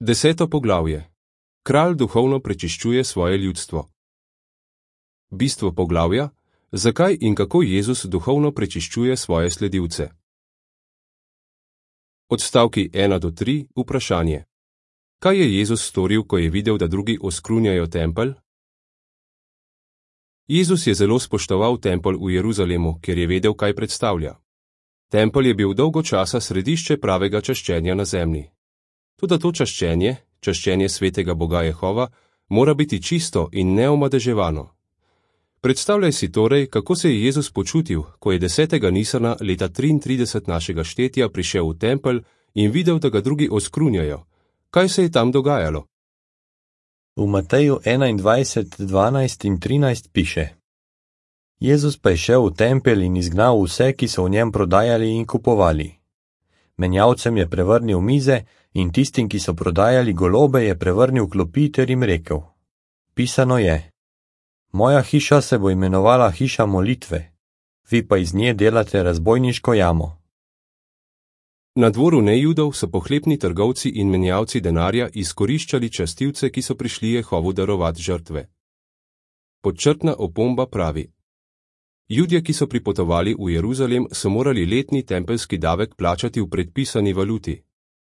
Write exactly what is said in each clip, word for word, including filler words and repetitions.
Deseto poglavje. Kralj duhovno prečiščuje svoje ljudstvo. Bistvo poglavja: zakaj in kako Jezus duhovno prečiščuje svoje sledilce. Odstavki ena do tri. Vprašanje. Kaj je Jezus storil, ko je videl, da drugi oskrunjajo tempelj? Jezus je zelo spoštoval tempelj v Jeruzalemu, ker je vedel, kaj predstavlja. Tempelj je bil dolgo časa središče pravega čaščenja na zemlji. Toda to čaščenje, čaščenje svetega Boga Jehova, mora biti čisto in neomadeževano. Predstavljaj si torej, kako se je Jezus počutil, ko je desetega Nisana leta triintrideset našega štetja prišel v tempelj in videl, da ga drugi oskrunjajo. Kaj se je tam dogajalo? V Mateju enaindvajset, dvanajst in trinajst piše: Jezus pa je šel v tempelj in izgnal vse, ki so v njem prodajali in kupovali. Menjalcem je prevrnil mize in tistim, ki so prodajali golobe, je prevrnil klopi ter jim rekel: Pisano je: Moja hiša se bo imenovala hiša molitve, vi pa iz nje delate razbojniško jamo. Na dvoru nejudov so pohlepni trgovci in menjalci denarja izkoriščali častilce, ki so prišli Jehovu darovati žrtve. Podčrtna opomba pravi: Judje, ki so pripotovali v Jeruzalem, so morali letni tempelski davek plačati v predpisani valuti.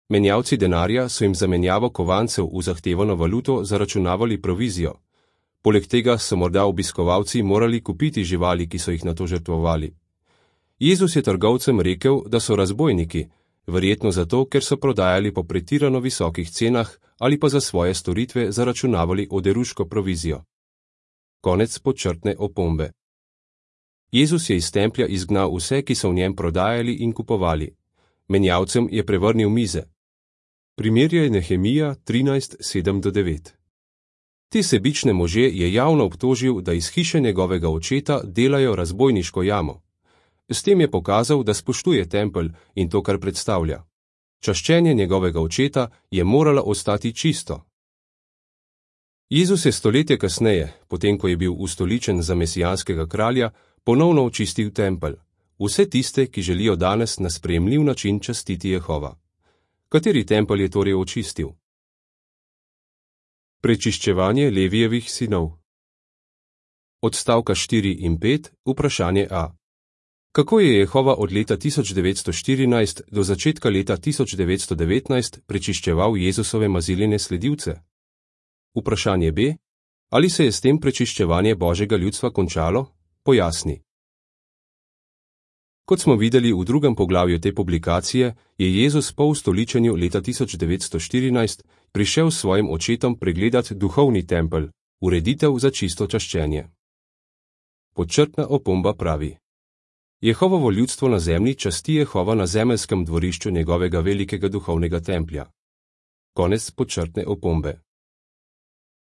Menjalci denarja so jim za menjavo kovancev v zahtevano valuto zaračunavali provizijo. Poleg tega so morda obiskovalci morali kupiti živali, ki so jih nato žrtvovali. Jezus je trgovcem rekel, da so razbojniki, verjetno zato, ker so prodajali po pretirano visokih cenah ali pa za svoje storitve zaračunavali oderuško provizijo. Konec podčrtne opombe. Jezus je iz templja izgnal vse, ki so v njem prodajali in kupovali. Menjalcem je prevrnil mize. Primerjaj Nehemija trinajst, sedem do devet. Te sebične može je javno obtožil, da iz hiše njegovega očeta delajo razbojniško jamo. S tem je pokazal, da spoštuje tempelj in to, kar predstavlja. Čaščenje njegovega očeta je moralo ostati čisto. Jezus je stoletje kasneje, potem ko je bil ustoličen za mesijanskega kralja, ponovno očistil tempelj. Vse tiste, ki želijo danes na sprejemljiv način častiti Jehova. Kateri tempelj je torej očistil? Prečiščevanje Levijevih sinov. Odstavka štiri in pet. Vprašanje A. Kako je Jehova od leta tisoč devetsto štirinajst do začetka leta tisoč devetsto devetnajst prečiščeval Jezusove maziljene sledilce? Vprašanje B. Ali se je s tem prečiščevanje Božjega ljudstva končalo? Pojasni. Kot smo videli v drugem poglavju te publikacije, je Jezus po ustoličenju leta tisoč devetsto štirinajst prišel s svojim očetom pregledati duhovni tempelj, ureditev za čisto čaščenje. Podčrtna opomba pravi: Jehovovo ljudstvo na zemlji časti Jehova na zemeljskem dvorišču njegovega velikega duhovnega templja. Konec podčrtne opombe.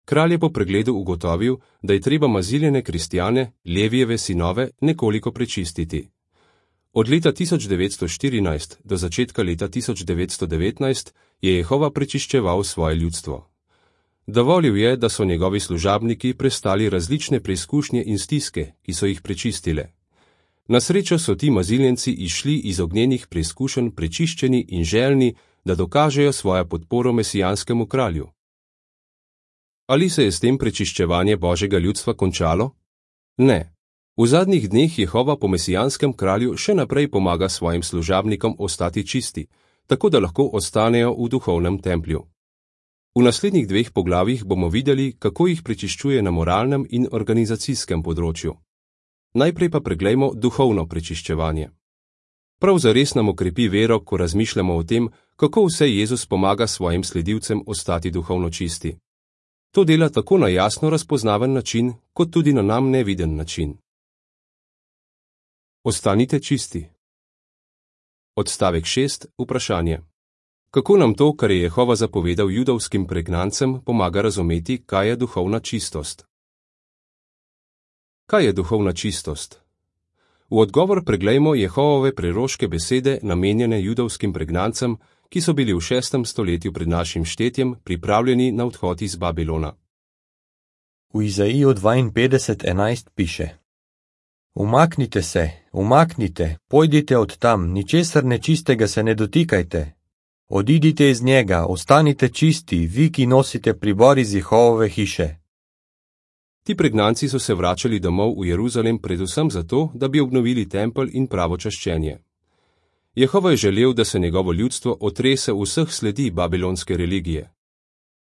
Kralj je po pregledu ugotovil, da je treba maziljene kristjane, Levijeve sinove, nekoliko prečistiti. Od leta tisoč devetsto štirinajst do začetka leta tisoč devetsto devetnajst je Jehova prečiščeval svoje ljudstvo. Dovolil je, da so njegovi služabniki prestali različne preizkušnje in stiske, ki so jih prečistile. Na srečo so ti maziljenci išli iz ognjenih preizkušenj prečiščeni in željni, da dokažejo svojo podporo mesijanskemu kralju. Ali se je s tem prečiščevanje Božjega ljudstva končalo? Ne. V zadnjih dneh Jehova po mesijanskem kralju še naprej pomaga svojim služabnikom ostati čisti, tako da lahko ostanejo v duhovnem templju. V naslednjih dveh poglavjih bomo videli, kako jih prečiščuje na moralnem in organizacijskem področju. Najprej pa preglejmo duhovno prečiščevanje. Prav zares nam okrepi vero, ko razmišljamo o tem, kako vse Jezus pomaga svojim sledilcem ostati duhovno čisti. To dela tako na jasno razpoznaven način, kot tudi na nam neviden način. Ostanite čisti. Odstavek šest. Vprašanje. Kako nam to, kar je Jehova zapovedal judovskim pregnancem, pomaga razumeti, kaj je duhovna čistost? Kaj je duhovna čistost? V odgovor preglejmo Jehovove preroške besede, namenjene judovskim pregnancem, ki so bili v šestem stoletju pred našim štetjem pripravljeni na odhod iz Babilona. V Izaiju dvainpetdeset enajst piše: Umaknite se, umaknite, pojdite od tam, ničesar nečistega se ne dotikajte. Odidite iz njega, ostanite čisti, vi, ki nosite pribor iz Jehovove hiše. Ti pregnanci so se vračali domov v Jeruzalem predvsem zato, da bi obnovili tempelj in pravo čaščenje. Jehova je želel, da se njegovo ljudstvo otrese vseh sledi babilonske religije.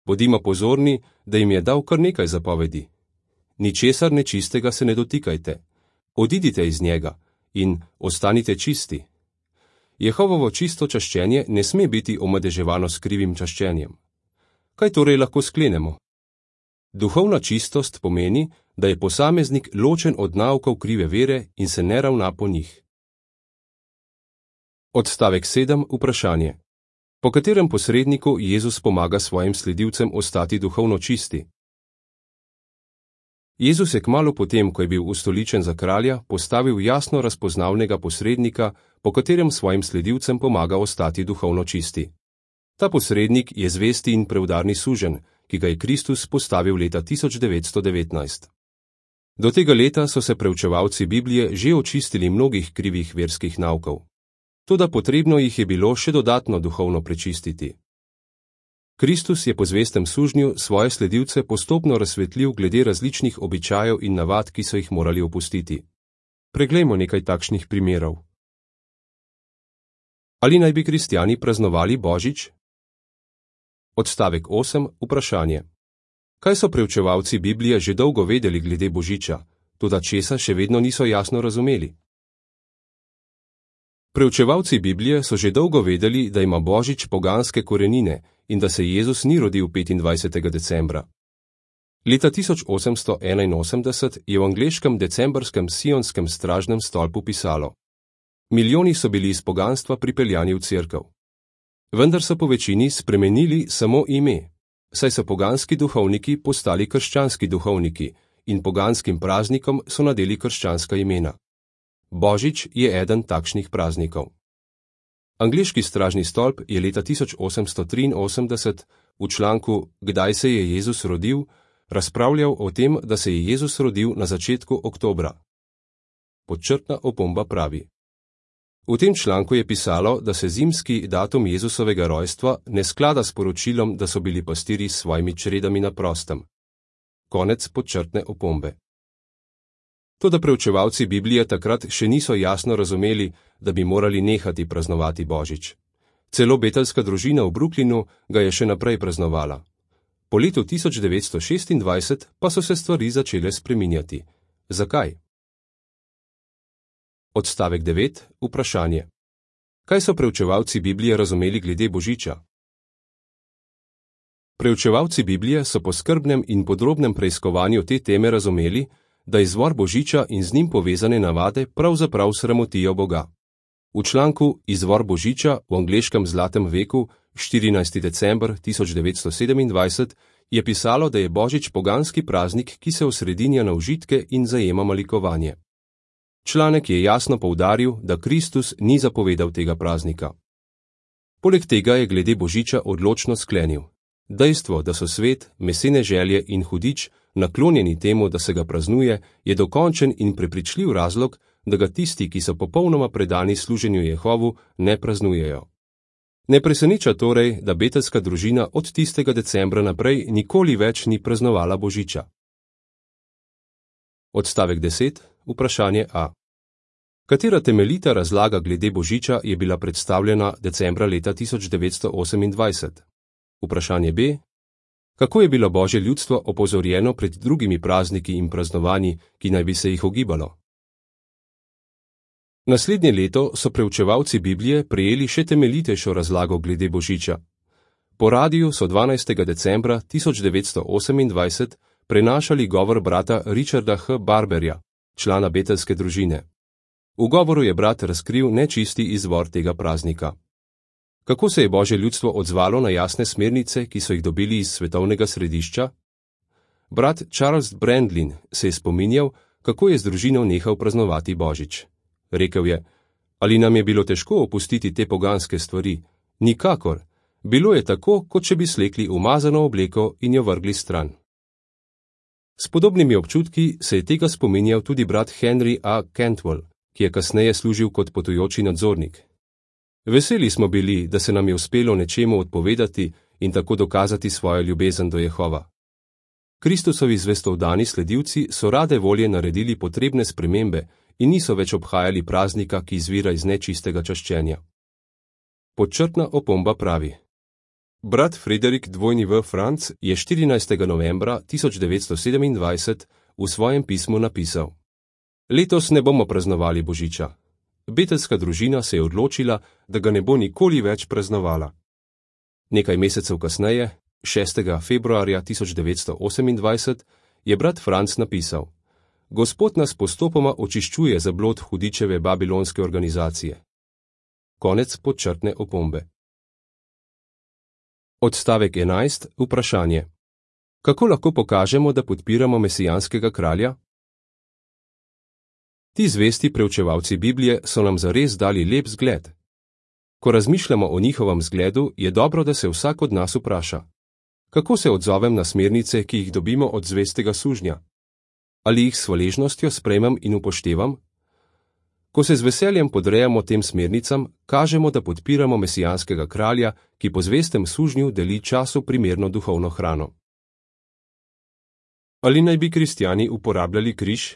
Bodimo pozorni, da jim je dal kar nekaj zapovedi. Ničesar nečistega se ne dotikajte. Odidite iz njega in ostanite čisti. Jehovovo čisto čaščenje ne sme biti omadeževano s krivim čaščenjem. Kaj torej lahko sklenemo? Duhovna čistost pomeni, da je posameznik ločen od naukov krive vere in se ne ravna po njih. Odstavek sedem. Vprašanje. Po katerem posredniku Jezus pomaga svojim sledilcem ostati duhovno čisti? Jezus je kmalu potem, ko je bil ustoličen za kralja, postavil jasno razpoznavnega posrednika, po katerem svojim sledilcem pomaga ostati duhovno čisti. Ta posrednik je zvesti in preudarni suženj, ki ga je Kristus postavil leta tisoč devetsto devetnajst. Do tega leta so se preučevalci Biblije že očistili mnogih krivih verskih naukov. Toda potrebno jih je bilo še dodatno duhovno prečistiti. Kristus je po zvestem sužnju svoje sledilce postopno razsvetlil glede različnih običajev in navad, ki so jih morali opustiti. Preglejmo nekaj takšnih primerov. Ali naj bi kristjani praznovali Božič? Odstavek osem. Vprašanje. Kaj so preučevalci Biblije že dolgo vedeli glede Božiča, toda česa še vedno niso jasno razumeli? Preučevalci Biblije so že dolgo vedeli, da ima Božič poganske korenine in da se Jezus ni rodil petindvajsetega decembra. Leta tisoč osemsto enainosemdeset je v angleškem decembrskem sionskem stražnem stolpu pisalo: Milijoni so bili iz poganstva pripeljani v cerkev. Vendar so po večini spremenili samo ime, saj so poganski duhovniki postali krščanski duhovniki in poganskim praznikom so nadeli krščanska imena. Božič je eden takšnih praznikov. Angleški stražni stolp je leta tisoč osemsto triinosemdeset v članku Kdaj se je Jezus rodil razpravljal o tem, da se je Jezus rodil na začetku oktobra. Podčrtna opomba pravi: V tem članku je pisalo, da se zimski datum Jezusovega rojstva ne sklada s poročilom, da so bili pastirji s svojimi čredami na prostem. Konec podčrtne opombe. Toda preučevalci Biblije takrat še niso jasno razumeli, da bi morali nehati praznovati Božič. Celo betelska družina v Brooklynu ga je še naprej praznovala. Po letu tisoč devetsto šestindvajset pa so se stvari začele spreminjati. Zakaj? Odstavek devet. Vprašanje. Kaj so preučevalci Biblije razumeli glede Božiča? Preučevalci Biblije so po skrbnem in podrobnem preiskovanju te teme razumeli, da izvor Božiča in z njim povezane navade pravzaprav sramotijo Boga. V članku Izvor Božiča v angleškem zlatem veku, štirinajsti december tisoč devetsto sedemindvajset, je pisalo, da je Božič poganski praznik, ki se osredinja na užitke in zajema malikovanje. Članek je jasno poudaril, da Kristus ni zapovedal tega praznika. Poleg tega je glede Božiča odločno sklenil: dejstvo, da so svet, mesene želje in hudič naklonjeni temu, da se ga praznuje, je dokončen in prepričljiv razlog, da ga tisti, ki so popolnoma predani služenju Jehovu, ne praznujejo. Ne preseneča torej, da betelska družina od tistega decembra naprej nikoli več ni praznovala Božiča. Odstavek deset. Vprašanje A. Katera temeljita razlaga glede Božiča je bila predstavljena decembra leta tisoč devetsto osemindvajset? Vprašanje B. Kako je bilo Božje ljudstvo opozorjeno pred drugimi prazniki in praznovanji, ki naj bi se jih ogibalo? Naslednje leto so preučevalci Biblije prejeli še temeljitejšo razlago glede Božiča. Po radiju so dvanajstega decembra tisoč devetsto osemindvajset prenašali govor brata Richarda H. Barberja, člana betelske družine. V govoru je brat razkril nečisti izvor tega praznika. Kako se je Božje ljudstvo odzvalo na jasne smernice, ki so jih dobili iz svetovnega središča? Brat Charles Brandlin se je spominjal, kako je z družino nehal praznovati Božič. Rekel je: ali nam je bilo težko opustiti te poganske stvari? Nikakor. Bilo je tako, kot če bi slekli umazano obleko in jo vrgli stran. S podobnimi občutki se je tega spominjal tudi brat Henry A. Cantwell, ki je kasneje služil kot potujoči nadzornik. Veseli smo bili, da se nam je uspelo nečemu odpovedati in tako dokazati svojo ljubezen do Jehova. Kristusovi zvestovdani sledilci so rade volje naredili potrebne spremembe in niso več obhajali praznika, ki izvira iz nečistega čaščenja. Podčrtna opomba pravi: Brat Frederik W. Franc je štirinajstega novembra tisoč devetsto sedemindvajset v svojem pismu napisal: Letos ne bomo praznovali Božiča. Betelska družina se je odločila, da ga ne bo nikoli več praznovala. Nekaj mesecev kasneje, šestega februarja tisoč devetsto osemindvajset, je brat Franc napisal: Gospod nas postopoma očiščuje za blod hudičeve babilonske organizacije. Konec podčrtne opombe. Odstavek enajst. Vprašanje. Kako lahko pokažemo, da podpiramo mesijanskega kralja? Ti zvesti preučevalci Biblije so nam zares dali lep zgled. Ko razmišljamo o njihovem zgledu, je dobro, da se vsak od nas vpraša: kako se odzovem na smernice, ki jih dobimo od zvestega sužnja? Ali jih s hvaležnostjo sprejmem in upoštevam? Ko se z veseljem podrejamo tem smernicam, kažemo, da podpiramo mesijanskega kralja, ki po zvestem sužnju deli času primerno duhovno hrano. Ali naj bi kristjani uporabljali križ?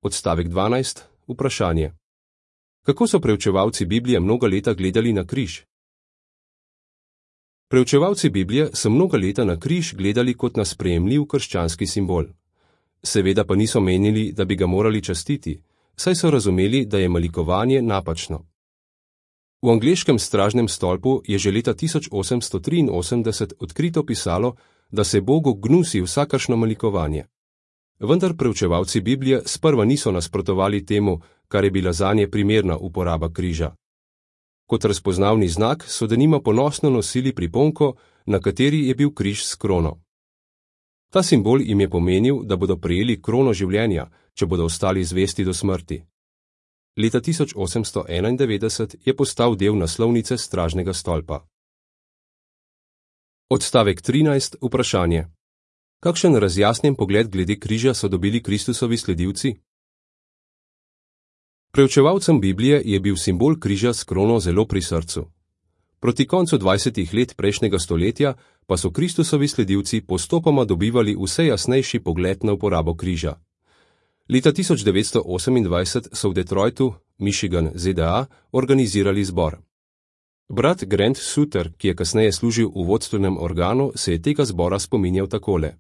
Odstavek dvanajst. Vprašanje. Kako so preučevalci Biblije mnoga leta gledali na križ? Preučevalci Biblije so mnoga leta na križ gledali kot na sprejemljiv krščanski simbol. Seveda pa niso menili, da bi ga morali častiti, saj so razumeli, da je malikovanje napačno. V angleškem stražnem stolpu je že leta tisoč osemsto triinosemdeset odkrito pisalo, da se Bogu gnusi vsakršno malikovanje. Vendar preučevalci Biblije sprva niso nasprotovali temu, kar je bila zanje primerna uporaba križa. Kot razpoznavni znak so denimo ponosno nosili priponko, na kateri je bil križ s krono. Ta simbol jim je pomenil, da bodo prejeli krono življenja, če bodo ostali zvesti do smrti. Leta tisoč osemsto enaindevetdeset je postal del naslovnice stražnega stolpa. Odstavek trinajst. Vprašanje. Kakšen razjasnjen pogled glede križa so dobili Kristusovi sledilci? Preučevalcem Biblije je bil simbol križa s krono zelo pri srcu. Proti koncu dvajsetih let prejšnjega stoletja pa so Kristusovi sledilci postopoma dobivali vse jasnejši pogled na uporabo križa. Leta tisoč devetsto osemindvajset so v Detroitu, Michigan, Z D A, organizirali zbor. Brat Grant Suter, ki je kasneje služil v vodstvenem organu, se je tega zbora spominjal takole.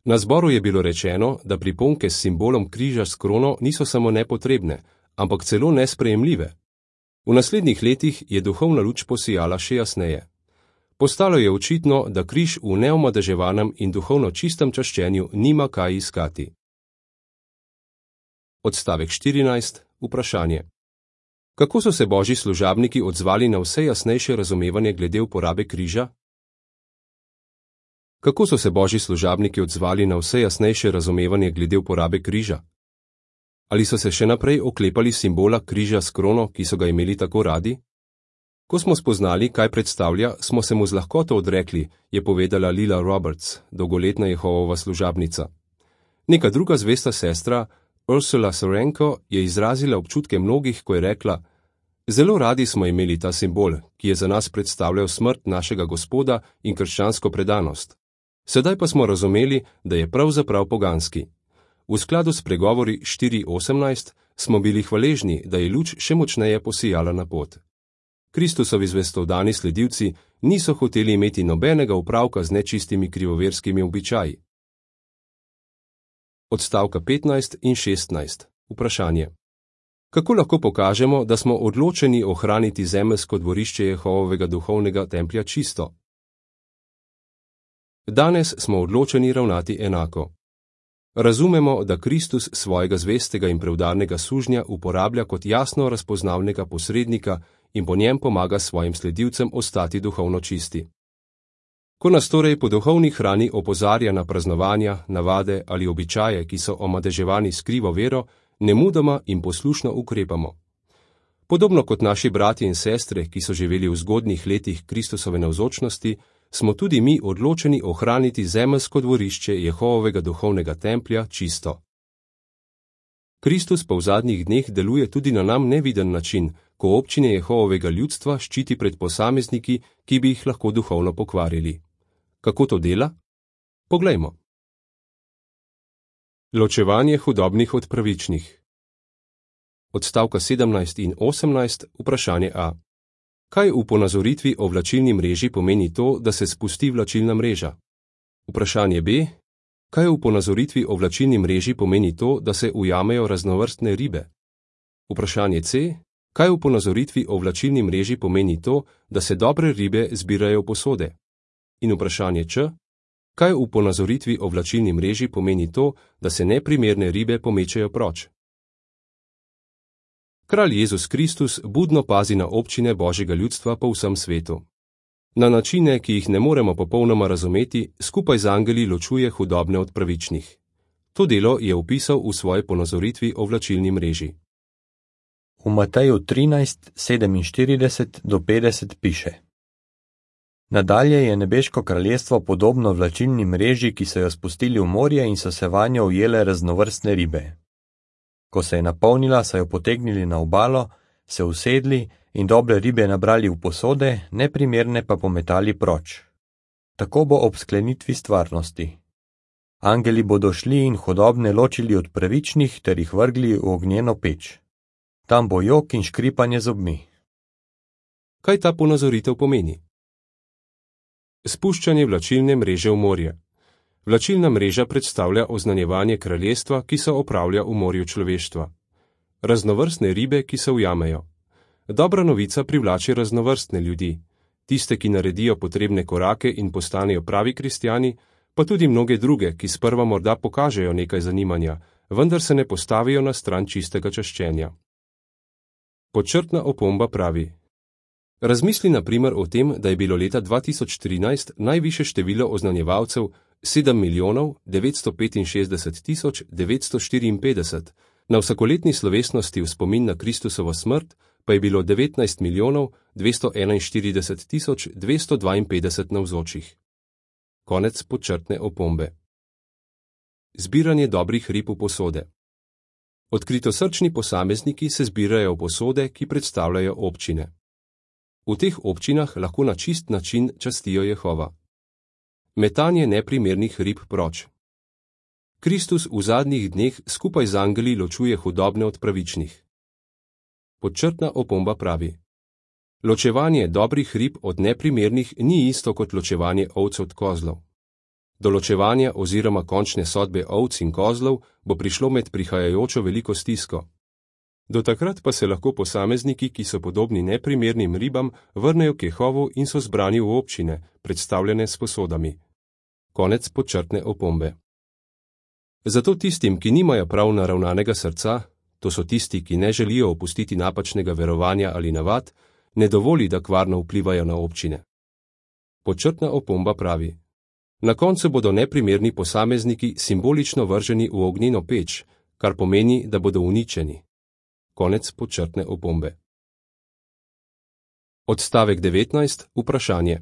Na zboru je bilo rečeno, da priponke s simbolom križa s krono niso samo nepotrebne, ampak celo nesprejemljive. V naslednjih letih je duhovna luč posijala še jasneje. Postalo je očitno, da križ v neomadeževanem in duhovno čistem čaščenju nima kaj iskati. Odstavek štirinajst. Vprašanje. Kako so se božji služabniki odzvali na vse jasnejše razumevanje glede uporabe križa? Kako so se božji služabniki odzvali na vse jasnejše razumevanje glede uporabe križa? Ali so se še naprej oklepali simbola križa s krono, ki so ga imeli tako radi? Ko smo spoznali, kaj predstavlja, smo se mu z lahkoto odrekli, je povedala Lila Roberts, dolgoletna Jehovova služabnica. Neka druga zvesta sestra, Ursula Sorenko, je izrazila občutke mnogih, ko je rekla: Zelo radi smo imeli ta simbol, ki je za nas predstavljal smrt našega Gospoda in krščansko predanost. Sedaj pa smo razumeli, da je pravzaprav poganski. V skladu s pregovori štiri osemnajst smo bili hvaležni, da je luč še močneje posijala na pot. Kristusovi zvestovdani sledilci niso hoteli imeti nobenega opravka z nečistimi krivoverskimi običaji. Odstavka petnajst in šestnajst. Vprašanje. Kako lahko pokažemo, da smo odločeni ohraniti zemeljsko dvorišče Jehovovega duhovnega templja čisto? Danes smo odločeni ravnati enako. Razumemo, da Kristus svojega zvestega in preudarnega sužnja uporablja kot jasno razpoznavnega posrednika in po njem pomaga svojim sledilcem ostati duhovno čisti. Ko nas torej po duhovni hrani opozarja na praznovanja, navade ali običaje, ki so omadeževani s krivo vero, nemudoma in poslušno ukrepamo. Podobno kot naši bratje in sestre, ki so živeli v zgodnjih letih Kristusove navzočnosti, smo tudi mi odločeni ohraniti zemeljsko dvorišče Jehovovega duhovnega templja čisto. Kristus pa v zadnjih dneh deluje tudi na nam neviden način, ko občine Jehovovega ljudstva ščiti pred posamezniki, ki bi jih lahko duhovno pokvarili. Kako to dela? Poglejmo. Ločevanje hudobnih od pravičnih. Odstavka sedemnajst in osemnajst, vprašanje A. Kaj v ponazoritvi o vlačilni mreži pomeni to, da se spusti vlačilna mreža? Vprašanje B. Kaj v ponazoritvi o vlačilni mreži pomeni to, da se ujamejo raznovrstne ribe? Vprašanje C. Kaj v ponazoritvi o vlačilni mreži pomeni to, da se dobre ribe zbirajo v posode? In vprašanje Č. Kaj v ponazoritvi o vlačilni mreži pomeni to, da se neprimerne ribe pomečejo proč? Kralj Jezus Kristus budno pazi na občine Božjega ljudstva po vsem svetu. Na načine, ki jih ne moremo popolnoma razumeti, skupaj z angeli ločuje hudobne od pravičnih. To delo je opisal v svoji ponazoritvi o vlačilni mreži. V Mateju trinajst, sedeminštirideset do petdeset piše: Nadalje je nebeško kraljestvo podobno vlačilni mreži, ki so jo spustili v morje in so se vanjo ujele raznovrstne ribe. Ko se je napolnila, so jo potegnili na obalo, se usedli in dobre ribe nabrali v posode, neprimerne pa pometali proč. Tako bo ob sklenitvi stvarnosti. Angeli bodo šli in hudobne ločili od pravičnih ter jih vrgli v ognjeno peč. Tam bo jok in škripanje zobmi. Kaj ta ponazoritev pomeni? Spuščanje vlačilne mreže v morje. Vlačilna mreža predstavlja oznanjevanje kraljestva, ki se opravlja v morju človeštva. Raznovrstne ribe, ki se ujamejo. Dobra novica privlači raznovrstne ljudi, tiste, ki naredijo potrebne korake in postanejo pravi kristjani, pa tudi mnoge druge, ki sprva morda pokažejo nekaj zanimanja, vendar se ne postavijo na stran čistega čaščenja. Podčrtna opomba pravi: Razmisli na primer o tem, da je bilo leta dva tisoč trinajst najvišje število oznanjevalcev sedem milijonov devetsto petinšestdeset tisoč devetsto štiriinpetdeset, na vsakoletni slovesnosti v spomin na Kristusovo smrt pa je bilo devetnajst milijonov dvesto enainštirideset tisoč dvesto dvainpetdeset navzočih. Konec podčrtne opombe. Zbiranje dobrih rib v posode. Odkritosrčni posamezniki se zbirajo v posode, ki predstavljajo občine. V teh občinah lahko na čist način častijo Jehova. Metanje neprimernih rib proč. Kristus v zadnjih dneh skupaj z angeli ločuje hudobne od pravičnih. Podčrtna opomba pravi: Ločevanje dobrih rib od neprimernih ni isto kot ločevanje ovc od kozlov. Do ločevanja oziroma končne sodbe ovc in kozlov bo prišlo med prihajajočo veliko stisko. Do takrat pa se lahko posamezniki, ki so podobni neprimernim ribam, vrnejo k Jehovu in so zbrani v občine, predstavljene s posodami. Konec podčrtne opombe. Zato tistim, ki nimajo prav naravnanega srca, to so tisti, ki ne želijo opustiti napačnega verovanja ali navad, ne dovoli, da kvarno vplivajo na občine. Podčrtna opomba pravi: Na koncu bodo neprimerni posamezniki simbolično vrženi v ognjeno peč, kar pomeni, da bodo uničeni. Konec podčrtne opombe. Odstavek devetnajst, vprašanje.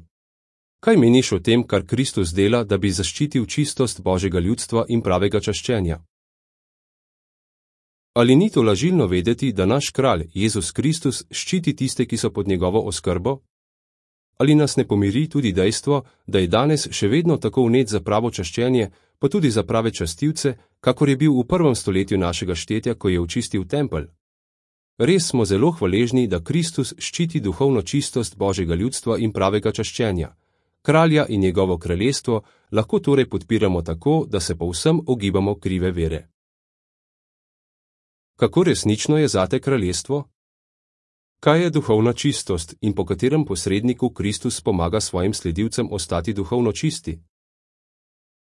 Kaj meniš o tem, kar Kristus dela, da bi zaščitil čistost Božjega ljudstva in pravega čaščenja? Ali ni to lažilno vedeti, da naš kralj, Jezus Kristus, ščiti tiste, ki so pod njegovo oskrbo? Ali nas ne pomiri tudi dejstvo, da je danes še vedno tako vnet za pravo čaščenje, pa tudi za prave častilce, kakor je bil v prvem stoletju našega štetja, ko je očistil tempelj? Res smo zelo hvaležni, da Kristus ščiti duhovno čistost Božjega ljudstva in pravega čaščenja. Kralja in njegovo kraljestvo lahko torej podpiramo tako, da se povsem ogibamo krive vere. Kako resnično je zate kraljestvo? Kaj je duhovna čistost in po katerem posredniku Kristus pomaga svojim sledilcem ostati duhovno čisti?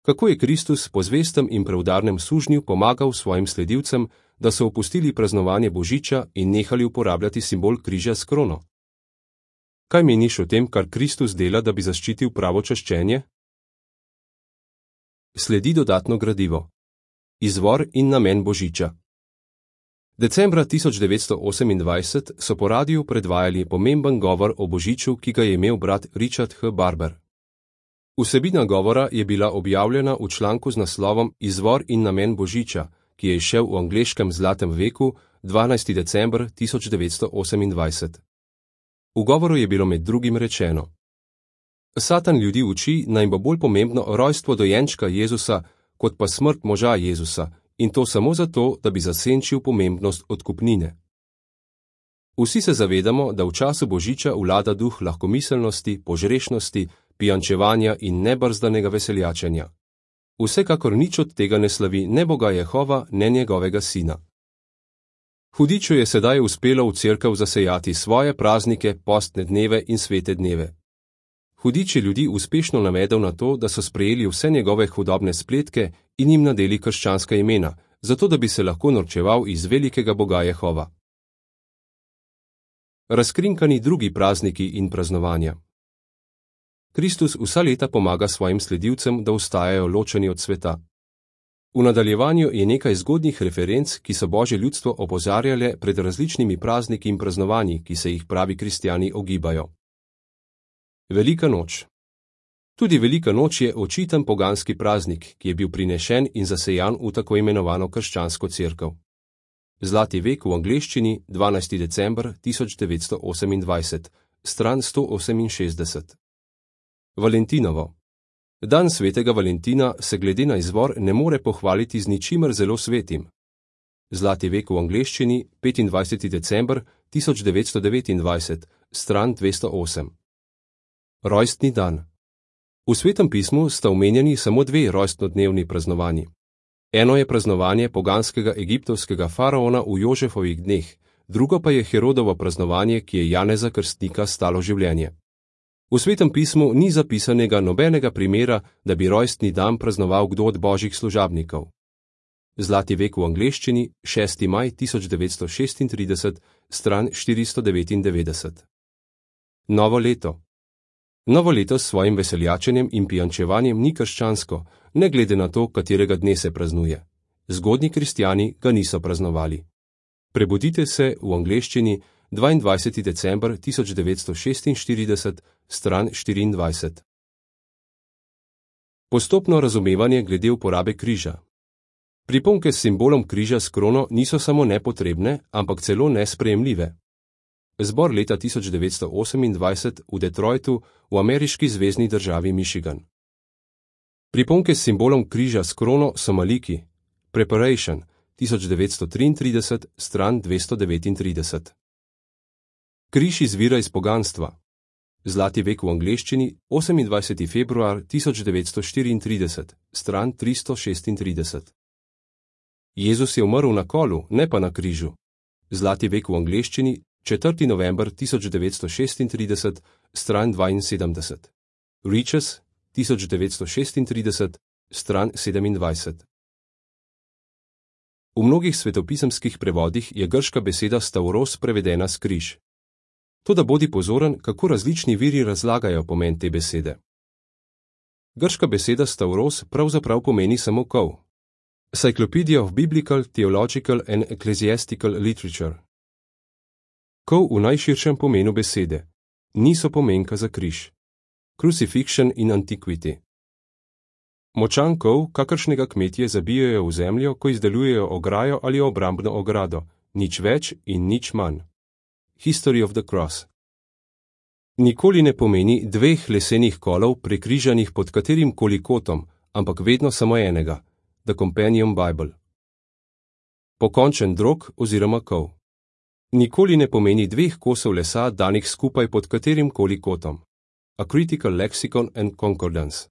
Kako je Kristus po zvestem in preudarnem sužnju pomagal svojim sledilcem, da so opustili praznovanje Božiča in nehali uporabljati simbol križa s krono? Kaj meniš o tem, kar Kristus dela, da bi zaščitil pravo čaščenje? Sledi dodatno gradivo. Izvor in namen Božiča. Decembra tisoč devetsto osemindvajset so po radiju predvajali pomemben govor o Božiču, ki ga je imel brat Richard H. Barber. Vsebina govora je bila objavljena v članku z naslovom Izvor in namen Božiča, ki je izšel v angleškem zlatem veku dvanajsti december tisoč devetsto osemindvajset. V govoru je bilo med drugim rečeno: Satan ljudi uči, naj bo bolj pomembno rojstvo dojenčka Jezusa, kot pa smrt moža Jezusa, in to samo zato, da bi zasenčil pomembnost odkupnine. Vsi se zavedamo, da v času Božiča vlada duh lahkomiselnosti, požrešnosti, pijančevanja in nebrzdanega veseljačenja. Vsekakor nič od tega ne slavi ne Boga Jehova, ne njegovega sina. Hudiču je sedaj uspelo v cerkev zasejati svoje praznike, postne dneve in svete dneve. Hudič je ljudi uspešno navedel na to, da so sprejeli vse njegove hudobne spletke in jim nadeli krščanska imena, zato da bi se lahko norčeval iz velikega Boga Jehova. Razkrinkani drugi prazniki in praznovanja. Kristus vsa leta pomaga svojim sledilcem, da ostajajo ločeni od sveta. V nadaljevanju je nekaj zgodnjih referenc, ki so Božje ljudstvo opozarjale pred različnimi prazniki in praznovanji, ki se jih pravi kristjani ogibajo. Velika noč. Tudi Velika noč je očiten poganski praznik, ki je bil prinešen in zasejan v tako imenovano krščansko cerkev. Zlati vek v angleščini, dvanajsti december tisoč devetsto osemindvajset, stran sto oseminšestdeset. Valentinovo. Dan svetega Valentina se glede na izvor ne more pohvaliti z ničimer zelo svetim. Zlati vek v angleščini, petindvajseti december tisoč devetsto devetindvajset, stran dvesto osem. Rojstni dan. V Svetem pismu sta omenjeni samo dve rojstnodnevni praznovanji. Eno je praznovanje poganskega egiptovskega faraona v Jožefovih dneh, drugo pa je Herodovo praznovanje, ki je Janeza Krstnika stalo življenje. V Svetem pismu ni zapisanega nobenega primera, da bi rojstni dan praznoval kdo od božjih služabnikov. Zlati vek v angleščini, šesti maj tisoč devetsto šestintrideset, stran štiristo devetindevetdeset. Novo leto. Novo leto s svojim veseljačenjem in pijančevanjem ni krščansko, ne glede na to, katerega dne se praznuje. Zgodnji kristjani ga niso praznovali. Prebudite se v angleščini, dvaindvajseti december tisoč devetsto šestinštirideset, stran štiriindvajset. Postopno razumevanje glede uporabe križa. Priponke s simbolom križa s krono niso samo nepotrebne, ampak celo nesprejemljive. Zbor leta tisoč devetsto osemindvajset v Detroitu v ameriški zvezni državi Michigan. Priponke s simbolom križa s krono so maliki. Preparation, tisoč devetsto triintrideset, stran dvesto devetintrideset. Križ izvira iz poganstva. Zlati vek v angleščini, osemindvajseti februar tisoč devetsto štiriintrideset, stran tristo šestintrideset. Jezus je umrl na kolu, ne pa na križu. Zlati vek v angleščini, četrti november tisoč devetsto šestintrideset, stran dvainsedemdeset. Riches, tisoč devetsto šestintrideset, stran sedemindvajset. V mnogih svetopisemskih prevodih je grška beseda stavros prevedena s križ. Toda bodi pozoren, kako različni viri razlagajo pomen te besede. Grška beseda stavros pravzaprav pomeni samo kol. Cyclopedia of Biblical, Theological and Ecclesiastical Literature. Kol v najširšem pomenu besede. Niso pomenka za križ. Crucifixion in Antiquity. Močan kol, kakršnega kmetje zabijajo v zemljo, ko izdelujejo ograjo ali obrambno ogrado. Nič več in nič manj. History of the Cross. Nikoli ne pomeni dveh lesenih kolov prekrižanih pod katerim koli kotom, ampak vedno samo enega. The Companion Bible. Pokončen drog oziroma kol. Nikoli ne pomeni dveh kosov lesa danih skupaj pod katerim koli kotom. A Critical Lexicon and Concordance.